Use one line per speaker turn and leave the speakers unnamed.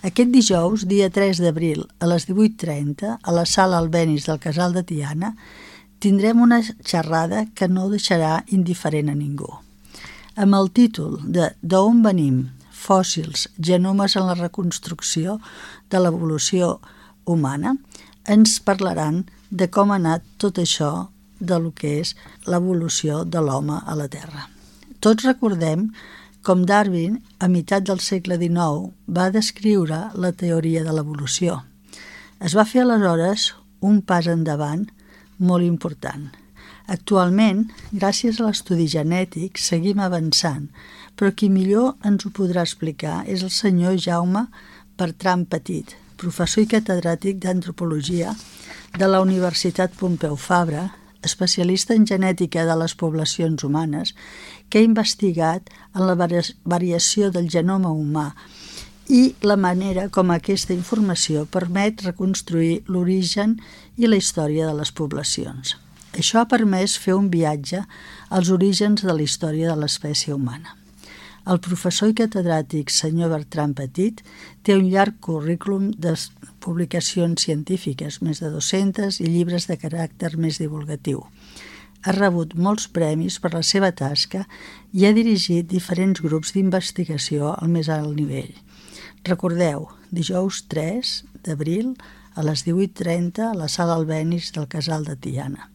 Aquest dijous, dia 3 d'abril, a les 18:30, a la sala Albéniz del Casal de Tiana, tindrem una xerrada que no deixarà indiferent a ningú. Amb el títol de D'on venim? Fòssils, genomes en la reconstrucció de l'evolució humana, ens parlaran de com ha anat tot això de lo que és l'evolució de l'home a la Terra. Tots recordem com Darwin, a meitat del segle XIX, va descriure la teoria de l'evolució. Es va fer aleshores un pas endavant molt important. Actualment, gràcies a l'estudi genètic, seguim avançant, però qui millor ens ho podrà explicar és el senyor Jaume Bertran Petit, professor i catedràtic d'antropologia de la Universitat Pompeu Fabra, especialista en genètica de les poblacions humanes, que ha investigat en la variació del genoma humà i la manera com aquesta informació permet reconstruir l'origen i la història de les poblacions. Això ha permès fer un viatge als orígens de la història de l'espècie humana. El professor i catedràtic senyor Bertran Petit té un llarg currículum de publicacions científiques, més de 200, i llibres de caràcter més divulgatiu. Ha rebut molts premis per la seva tasca i ha dirigit diferents grups d'investigació al més alt nivell. Recordeu, dijous 3 d'abril a les 18:30 a la sala Albéniz del Casal de Tiana.